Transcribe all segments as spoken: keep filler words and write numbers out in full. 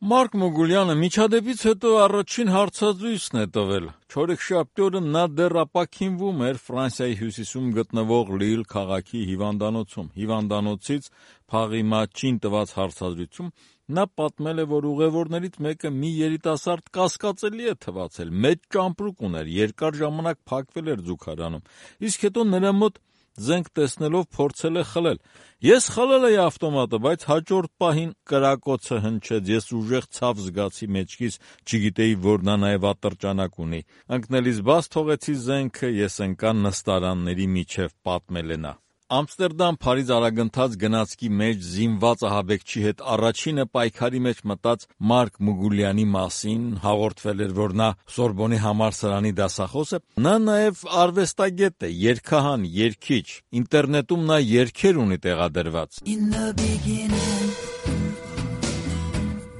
Մարկ Մուգուլյանը միջադեպից հետո առաջին հարցազրույցն է տվել։ Չորեքշաբթի օրը նա դեռ ապաքինվում էր Ֆրանսիայի հյուսիսում գտնվող Լիլ քաղաքի հիվանդանոցում։ Հիվանդանոցից փաղի մատչին տված հարցազրույցում նա պատմել է, որ ուղևորներից մեկը մի երիտասարդ կասկածելի է թվացել, մեծ ճամպրուկ ուներ, երկար ժամանակ փակվել էր զուգարանում, իսկ հետո նրա մոտ զենք տեսնելով փորձել է խլել։ Ես խլել էի ավտոմատը, բայց հաջորդ պահին կրակոցը հնչեց, ես ուժեղ ցավ զգացի մեջքիս, չգիտեի, որ նա նաև ատրճանակ ունի։ Ընկնելիս բաց թողեցի զենքը, ես ընկա նստարանների միջև, պատմել է նա։ Ամստերդամ-Փարիզ արագընթաց գնացքի մեջ զինված ահաբեկչի հետ առաջինը պայքարի մեջ մտած Մարկ Մուգուլյանի մասին հաղորդվել էր, որ նա Սորբոնի համալսարանի դասախոս է։ Նա նաև արվեստագետ է, երգահան, երգիչ։ Ինտերնետում նա երգեր ունի տեղադրված։ In the beginning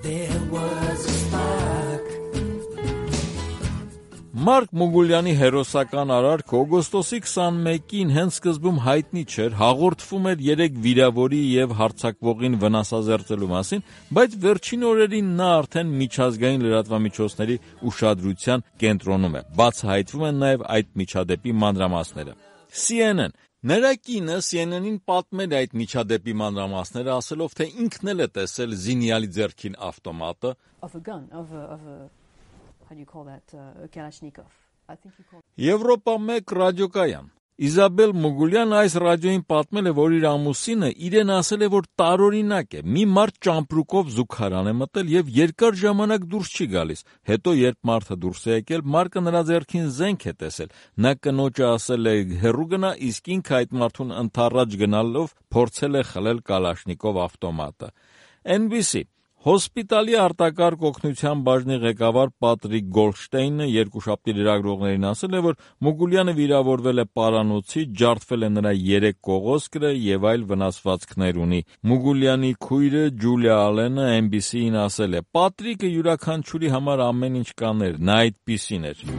there was a spark. Մարկ Մուգուլյանի հերոսական արարքը օգոստոսի քսանմեկին հենց սկզբում հայտնի չէր, հաղորդվում էր երեք վիրավորի և հարձակվողին վնասազերծելու մասին, բայց վերջին օրերին նա արդեն միջազգային լրատվամիջոցների ուշադրության կենտրոնում է։ Բացահայտվում են նաև այդ միջադեպի մանրամասները։ C N N Նրա կինը C N N-ին պատմել է այդ միջադեպի մանրամասները, ասելով, թե ինքն էլ է տեսել զինյալի ձեռքին ավտոմատը։ Of a gun, of a, of a, how do you call that, uh, a Kalashnikov. I think you call it. Եվրոպա մեկ ռադիոկայան Իզաբել Մուգուլյանը այս ռադիոյին պատմել է, որ իր ամուսինը իրեն ասել է, որ տարօրինակ է, մի մարդ ճամպրուկով զուգարան է մտել և երկար ժամանակ դուրս չի գալիս։ Հետո երբ մարդը դուրս է եկել, Մարկը նրա ձեռքին զենք է տեսել։ Նա կնոջը ասել է հեռու գնա, իսկ ինքը այդ մարդուն ընդառաջ գնալով փորձել է խլել Կալաշնիկով ավտոմատը։ N B C Հոսպիտալի արտակարգ օգնության բաժնի ղեկավար Պատրիկ Գոլդշտեյնը երկուշաբթի լրագրողներին ասել է, որ Մուգուլյանը վիրավորվել է պարանոցի, ջարդվել է նրա երեք կողոսկրը և այլ վնասվածքներ ունի։ Մուգուլյանի քույրը Ջուլիա Ալենը N B C-ին ասել է. Պատրիկը յուրաքանչյուրի համար ամեն ինչ կաներ, նա այդպիսին էր։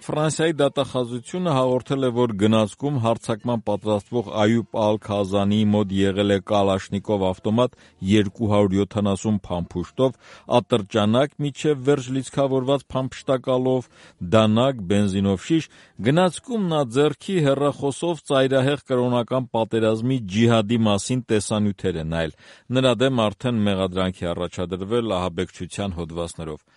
Ֆրանսիայի դատախազությունը հաղորդել է, որ գնացքում հարձակման պատրաստվող Այուբ Ալ-Քազանիի մոտ եղել է Կալաշնիկով ավտոմատ երկու հարյուր յոթանասուն փամփուշտով, ատրճանակ միջև վերջ լիցքավորված փամփշտակալով, դանակ, բենզինով շիշ։ Գնացքում նա ձեռքի հեռախոսով ծայրահեղ կրոնական պատերազմի ջիհադի մասին տեսանյութեր է նայել։ Նրա դեմ արդեն մեղադրանք է առաջադրվել ահաբեկչության հոդվածներով։